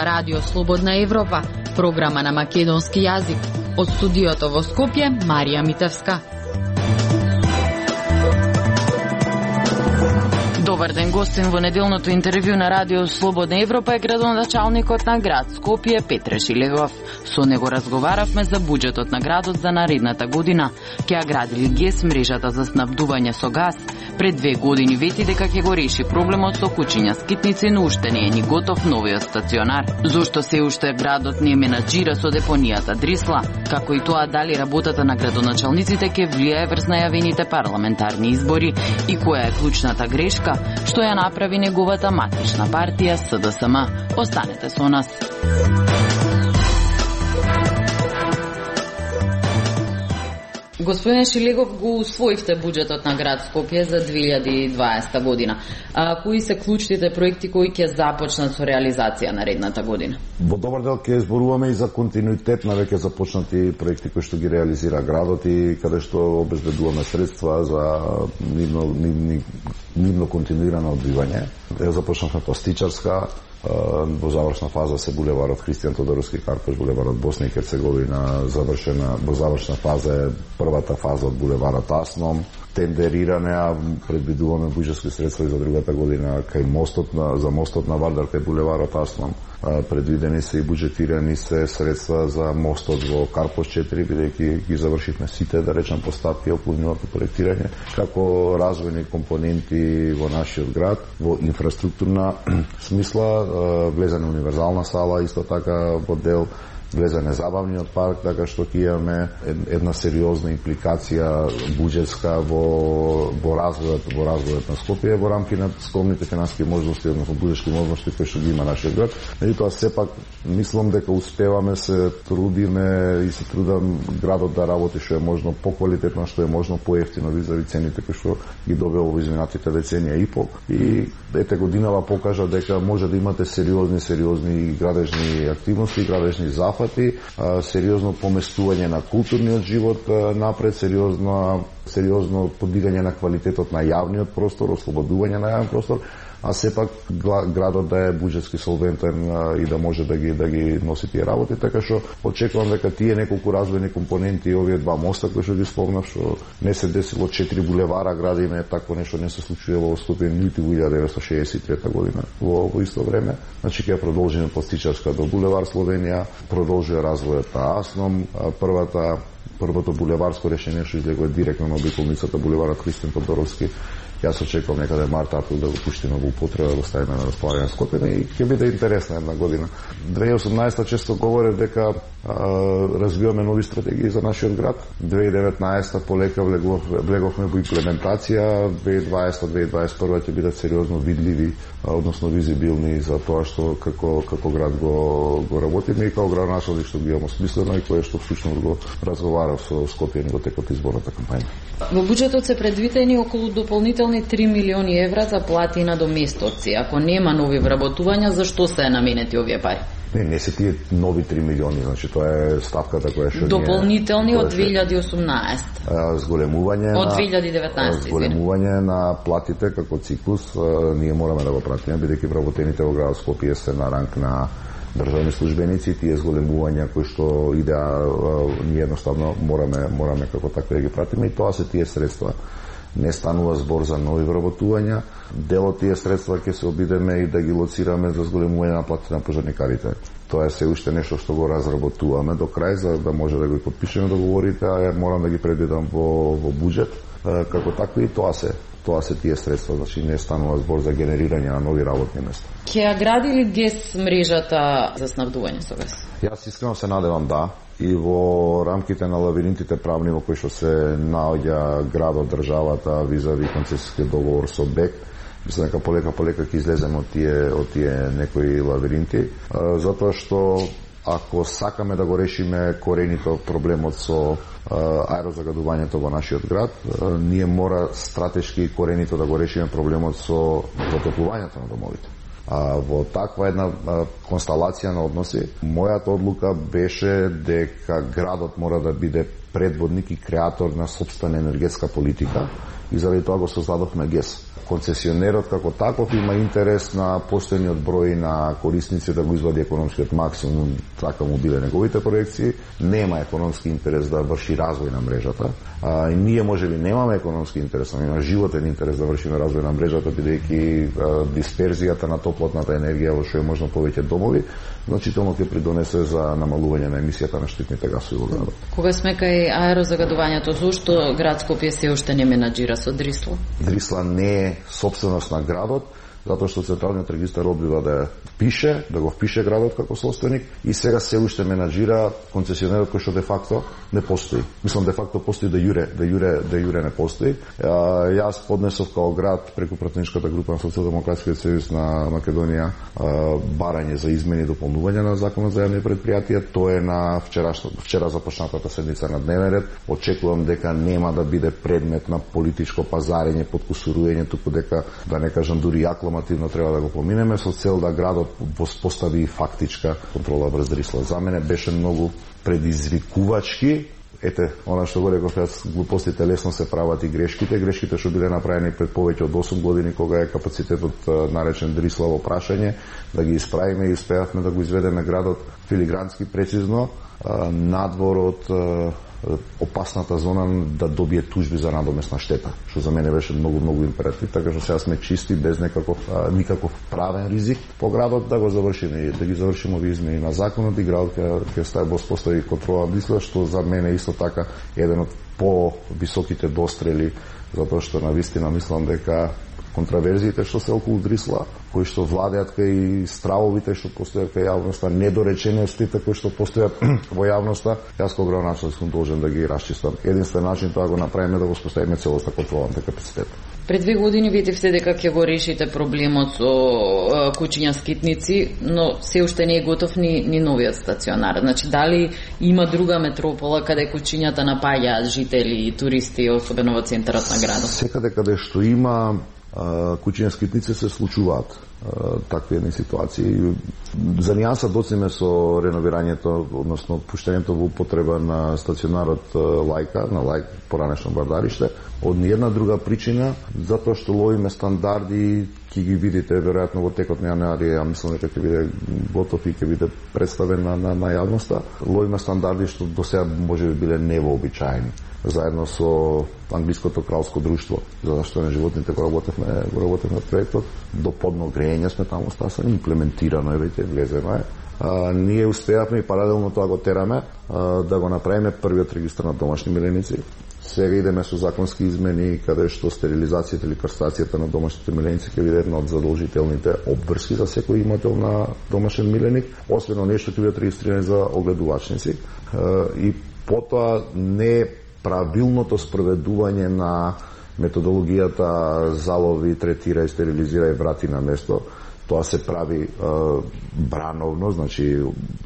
ова Радио Слободна Европа, програма на македонски јазик. Од студиото во Скопје, Марија Митевска. Добар ден, гостин во неделното интервју на Радио Слободна Европа е градоначалникот на град Скопје Петре Шилегов. Со него разговаравме за буџетот на градот за наредната година. Ќе ја градили ГЕС мрежата за снабдување со газ. Пред 2 години вети дека ќе го реши проблемот со кучиња скитници, но уште не е ни готов новиот стационар. Зошто се уште градот не менаџира со депонијата Дрисла, како и тоа дали работата на градоначалниците ќе влијае врз најавените парламентарни избори и која е клучната грешка што ја направи неговата матична партија СДСМ. Останете со нас. Господин Шилегов, го усвоивте буџетот на град Скопје за 2020 година. Кои се клучните проекти кои ќе започнат со реализација наредната година? Во добар дел ќе зборуваме и за континуитет на веќе започнати проекти кои што ги реализира градот и каде што обезбедуваме средства за нивно континуирано одвивање. Започнавме пластичарска, во завршна фаза се булеварот Христијан Тодоровски Карпош, булеварот Босна и Херцеговина, во завршна фаза е првата фаза од булеварот Асном, тендериране, а предвидуваме буџетски средства и за другата година кај за мостот на Вардар кај булеварот Асном. Предвидени се и буџетирани се средства за мостот во Карпош 4, бидејќи ги завршивме сите, да речем, поставки околу нивото проектирање, како развојни компоненти во нашиот град, во инфраструктурна смисла, влезене универзална сала, исто така во дел влезене забавниот парк, така што ќе имаме една сериозна импликација буџетска во развојот на Скопје во рамки на скромните финансиски можности, односно буџетски можности кои што ги има нашиот град. Меѓутоа сепак мислам дека успеваме, се трудиме и се трудам градот да работи што е можно поквалитетно, што е можно поевтино визави цените кои што ги добива во изминатите деценија и пол. И ете годинава покажа дека може да имате сериозни градежни активности, градежни зафати, сериозно поместување на културниот живот напред, сериозно подигање на квалитетот на јавниот простор, ослободување на јавен простор, а сепак градот да е буџетски солвентен и да може да ги носи тие работи, така што очекувам дека тие неколку развојни компоненти, овие 2 моста кои што ги спомнав, што не се десило 4 булевара градиме, такво нешто не се случува во Скопје нити во 1963 година во исто време. Значи ќе продолжиме пластичарска до булевар Словенија, продолжува развојот на Асном, првото булеварско решение што излегува директно на обиколницата булеварот Христијан Тодоровски. Јас очекувам некаде март-април да го пуштиме во употреба, да го ставиме на располагање на Скопје и ќе биде интересна една година. 2018 често говорев дека развиваме нови стратегии за нашиот град. 2019 полека влеговме во имплементација, 2020-2021 ќе бидат сериозно видливи, односно визибилни за тоа што како град го работиме и како градоначалник што ги имаме смислено и кое што всушност го разговарав со Скопје во текот изборната кампања. Во буџетот се предвидени околу дополнителни 3 милиони евра за плати и надоместоци. Ако нема нови вработувања, зашто се наменети овие пари? Не се тие нови 3 милиони, значи тоа е ставката која што дополнителни од 2018. Зголемување од 2019. Зголемување на платите како циклус, ние мораме да го пратиме, бидејќи вработените во градот Скопје се на ранг на државни службеници, тие зголемувања кои што идеа, ние едноставно мораме како такви да ги пратиме и тоа се тие средства. Не станува збор за нови вработувања, дел од тие средства ќе се обидеме и да ги лоцираме за зголемување на платите на пожарникарите. Тоа е се уште нешто што го разработуваме до крај, за да може да го подпишеме договорите, а морам да ги предвидам во буџет, како такви и тоа се тие средства, значи не станува збор за генерирање на нови работни места. Ќе ја гради ли ГЕС мрежата за снабдување со газ? Јас искрено се надевам да, и во рамките на лавиринтите правни во кои што се наоѓа градот, државата визави концесиски договор со БЕК, мислам дека полека ќе излеземе од тие некои лавиринти, затоа што ако сакаме да го решиме коренито проблемот со аерозагадувањето во нашиот град, ние мора стратешки коренито да го решиме проблемот со затоплувањето на домовите. Во таква една констелација на односи, мојата одлука беше дека градот мора да биде предводник и креатор на сопствена енергетска политика и заради тоа го создадовме ГЕС. Концесионерот како таков има интерес на постојниот број на корисници да го извади економскиот максимум, така му биле неговите проекции. Нема економски интерес да врши развој на мрежата. И ние можеби немаме економски интерес, но има животен интерес да вршиме развој на мрежата, бидејќи дисперзијата на топлотната енергија во што е можно повеќе домови, значително ќе придонесе за намалување на емисијата на штетните гасови во градот. Кога сме кај аерозагадувањето, зошто град Скопје се уште не менаџира со Дрисла? Дрисла не е собственост на градот, затоа што Централниот регистар одбива да го впише градот како собственик и сега се уште менаџира концесионерот кој што де факто не постои. Мислам де факто постои да јуре не постои. Јас поднесов као град преку пратеничката група на Социјалдемократскиот сојуз на Македонија барање за измени и дополнување на законот за јавни предпријатија. Тоа е на вчера започнатата седница на дневен ред. Очекувам дека нема да биде предмет на политичко пазарење, подкусурување, туку дека да не кажам дури акламативно треба да го поминеме со цел да градот постави фактичка контрола врз Дрисла. За мене беше многу предизвикувачки. Ете, она што го реков јас, глупостите лесно се прават и грешките што биле направени пред повеќе од 8 години кога е капацитетот наречен Дрисла во прашање, да ги исправиме и успеавме да го изведеме градот филигрански прецизно надвор од опасната зона да добие тужби за надомесна штета, што за мене беше многу императив, така што сега сме чисти без никаков правен ризик по градот да го завршиме и да ги завршиме овие измени на законот и градот ќе стаи во постави контрола Дрисла, што за мене исто така еден од по-високите дострели, затоа што навистина мислам дека контраверзиите што се околу Дрисла, кои што владеат кај стравовите што постојат кај јавноста, недореченостите кои што постојат во јавноста, јас како градоначелник сум должен да ги расчистам. Единствен начин тоа го направиме да го споставиме целоста контролната капацитет. Пред 2 години ветивте дека ќе го решите проблемот со куќиња скитници, но се уште не е готов ни новиот стационар. Значи, дали има друга метропола каде куќињата напаѓаат жители и туристи, особено во центарот на градот? Секаде каде што има куќиња скитници се случуваат такви едни ситуации. За нијанса доцниме со реновирањето, односно пуштањето во употреба на стационарот Лајка, на Лајк поранешно Бардариште, од ниједна друга причина, затоа што ловиме стандарди, ќе ги видите веројатно во текот на јануари, ја мислам дека ќе биде готов и ќе биде представен на јавноста. Ловиме стандарди што до сега можеби биле невообичаени, заедно со англиското кралско друштво за заштита на животните го работевме проектот. До подно грејење сме таму стасани, имплементирано е веќе, влезено е. Ние успеавме и паралелно тоа го тераме да го направиме првиот регистар на домашни миленици. Сега идеме со законски измени каде што стерилизацијата или кастрацијата на домашните миленици ќе биде една од задолжителните обврски за секој имател на домашен миленик, освен нешто ќе бидат регистрирани за огледувачници. И потоа не правилното спроведување на методологијата залови, третира и стерилизира и врати на место. Тоа се прави брановно, значи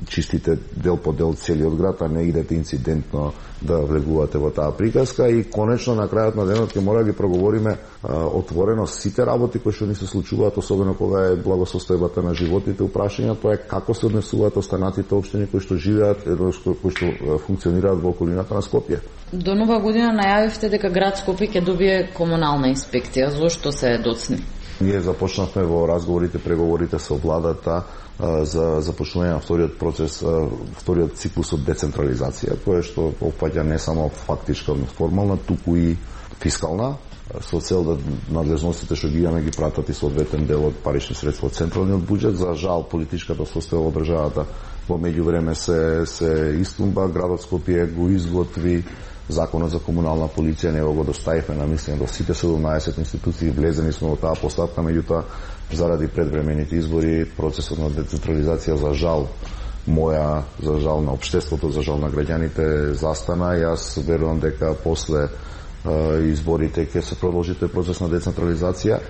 чистите дел по дел целиот град, а не идете инцидентно да влегувате во таа приказка. И конечно на крајот на денот ќе мора да ги проговориме отворено сите работи кои што ни се случуваат, особено кога е благосостојбата на животните. Упрашањето тоа е како се однесуваат останатите општини кои што живеат, кои што функционираат во околината на Скопје. До нова година најавивте дека град Скопје ќе добие комунална инспекција. Зошто се доцни? Ние започнавме во разговорите, преговорите со владата за започнување на вториот процес, вториот циклус од децентрализација, кој што опфаќа не само фактичка, но формална, туку и фискална, со цел да надлежностите што ги имаме ги пратат и соодветен дел од парични средства од централниот буџет. За жал, политичката состојба во државата во меѓувреме се истумба. Градот Скопје го изготви Законот за комунална полиција, него го доставивме на мислење до сите 17 институции, влезени сме во таа поставка, меѓутоа заради предвремените избори процесот на децентрализација за жал на општеството, за жал на граѓаните застана. Јас верувам дека после изборите ќе се продолжи тој процес на децентрализација,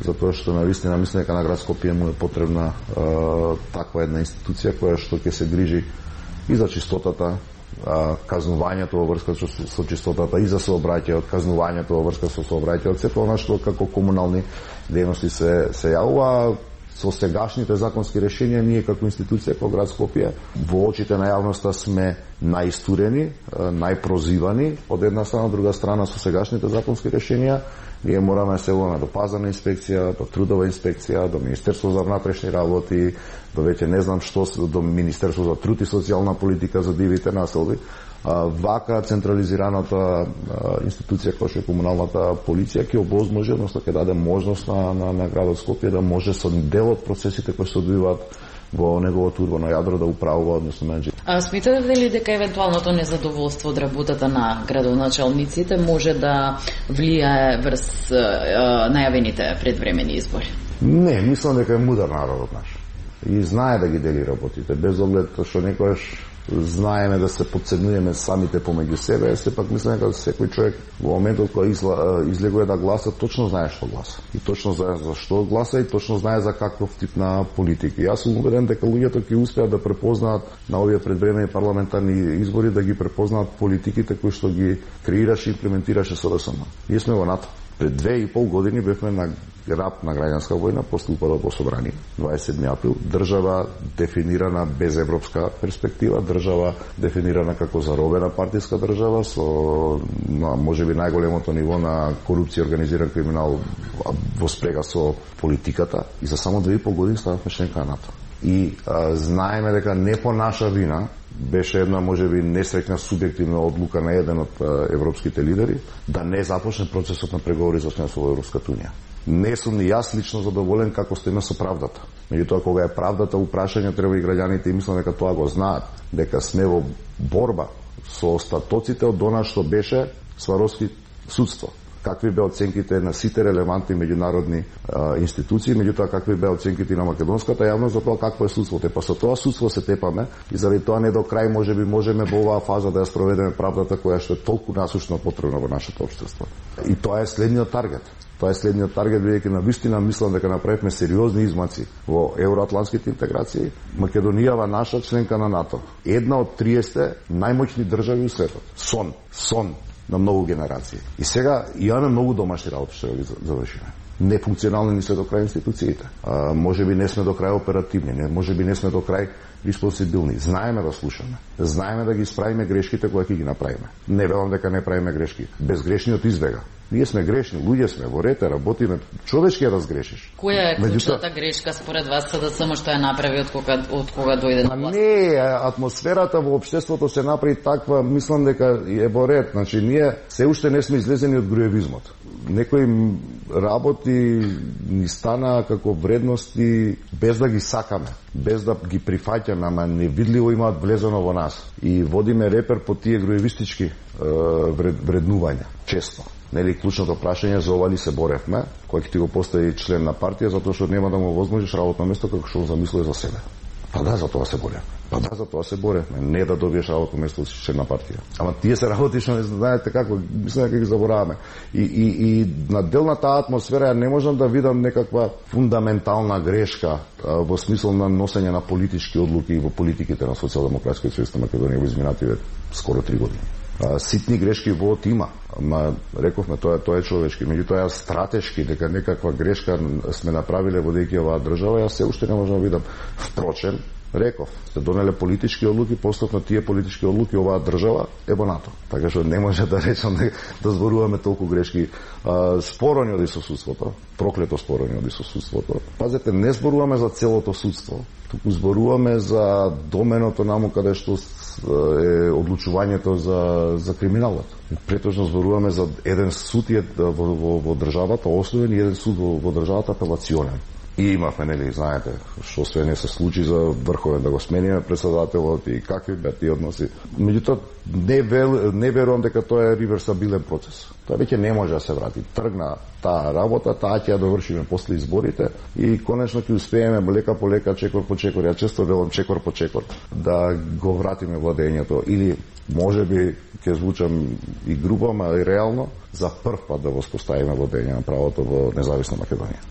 затоа што навистина мислам дека на град Скопје му е потребна таква една институција која што ќе се грижи и за чистотата, казнувањето во врска со чистотата и за сообраќајот, казнувањето во врска со сообраќајот, сето она што како комунални дејности се јавува. Со сегашните законски решенија ние како институција, како град Скопје, во очите на јавноста сме најистурени, најпрозивани од една страна, од друга страна со сегашните законски решенија ние мораме да се обрнеме до пазарна инспекција, до трудова инспекција, до Министерство за внатрешни работи, до веќе не знам што, до Министерство за труд и социјална политика за дивите населби. Вака централизираната институција која што е комуналната полиција ќе обозможи, односно ќе даде можност на градот Скопје да може со дел од процесите кои се одвиваат во неговото урбано јадро да управува, односно менеджер. Смятате ли дека евентуалното незадоволство од работата на градоначалниците може да влијае врз најавените предвремени избори? Не, мислам дека е мудар народот наш. И знае да ги дели работите, без оглед што некојаш знаеме да се подценуваме самите помеѓу себе, сепак мислам дека секој човек во моментот кога излегува да гласа, точно знае што гласа. И точно знае за што гласа и точно знае за каков тип на политики. Јас сум убеден дека луѓето ќе успеат да препознаат на овие предвремени парламентарни избори, да ги препознаат политиките кои што ги креираше и имплементираше СДСМ. Ние сме во НАТО. Пред 2,5 години бевме на рап на граѓанска војна, после упадот во собрание, 27 април, држава дефинирана без европска перспектива, држава дефинирана како заробена партиска држава, со можеби најголемото ниво на корупција и организиран криминал во спрега со политиката, и за само 2,5 години станавме членка на НАТО. И знаеме дека не по наша вина, беше една можеби несреќна субјективна одлука на еден од европските лидери да не започне процесот на преговори за членство во Европската унија. Не сум ни јас лично задоволен како стоиме со правдата. Меѓутоа, кога е правдата упрашање, треба и граѓаните, и мислам дека тоа го знаат, дека сме во борба со остатоците од она што беше Сваровски судство. Какви беа оценките на сите релевантни меѓународни институции, меѓутоа какви беа оценките на македонската јавност за тоа какво е судството. Па со тоа судство се тепаме и заради тоа не до крај можеби можеме во оваа фаза да ја спроведеме правдата која што е толку насушно потребна во нашето општество. И тоа е следниот таргет. Тоа е следниот таргет, бидејќи навистина мислам дека направивме сериозни измаци во евроатлантските интеграции. Македонијава наша членка на НАТО, една од 30 најмоćни држави у светот. Сон на многу генерации. И сега имаме многу домашни работи што ги завршиме. Нефункционални ни се до крај институциите. Можеби не сме до крај оперативни, можеби не сме до крај респонсибилни. Знаеме да слушаме. Знаеме да ги исправиме грешките кои ќе ги направиме. Не велам дека не правиме грешки. Безгрешниот избега. Ние сме грешни, луѓе сме, во рете, работиме, човечки ја разгрешиш. Која е клучната грешка според вас СДСМ што ја направи од кога дојде на власт? Не, атмосферата во општеството се направи таква, мислам дека е во ред. Значи, ние се уште не сме излезени од груевизмот. Некои работи ни стана како вредности без да ги сакаме, без да ги прифаќаме, ама невидливо имаат влезено во нас. И водиме репер по тие груевистички вреднувања, често. Нели, клучното прашање за ова ли се боревме, кој ќе ти го постави член на партија, затоа што нема да му возможиш работно место како што го замислува за себе. Па да, за тоа се боревме. Не да добиеш работно место си член на партија. Ама тие се работи што не знаете како, мислам дека ги забораваме. И на дел на таа атмосфера не можам да видам некаква фундаментална грешка во смисол на носење на политички одлуки во политиките на Социјалдемократскиот сојуз на Македонија во изминативе скоро 3 години. Ситни грешки во има, ама рековме тоа е човечки, меѓутоа стратешки дека некаква грешка сме направиле водејќи оваа држава, јас се уште не можам да видам. Впрочем, реков, се донеле политички одлуки, постапно тие политички одлуки оваа држава е во НАТО. Така што не може да речам да зборуваме толку грешки. Спорони од судството, проклето спорони од судството. Пазете, не зборуваме за целото судство, туку зборуваме за доменото наму каде што е одлучувањето за криминалот. Претежно зборуваме за еден суд во државата основен и еден суд во државата апелационен. И имавме, нели, знаете, што све не се случи за врховен да го смениме председателот и какви беа тие односи. Меѓутоа, не верувам дека тоа е реверсабилен процес. Тоа веќе не може да се врати. Тргна таа работа, таа ќе ја довршиме после изборите и конечно ќе успееме лека по лека, чекор по чекор, ја често велам чекор по чекор, да го вратиме владењето или можеби ќе звучам и грубо, ама и реално, за прв пат да воспоставиме владење на правото во независна Македонија.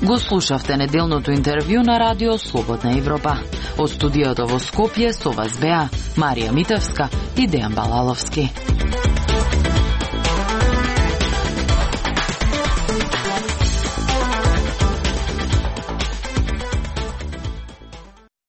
Го слушавте неделното интервју на Радио Слободна Европа. Од студиото во Скопје со вас беа Марија Митевска и Дејан Балаловски.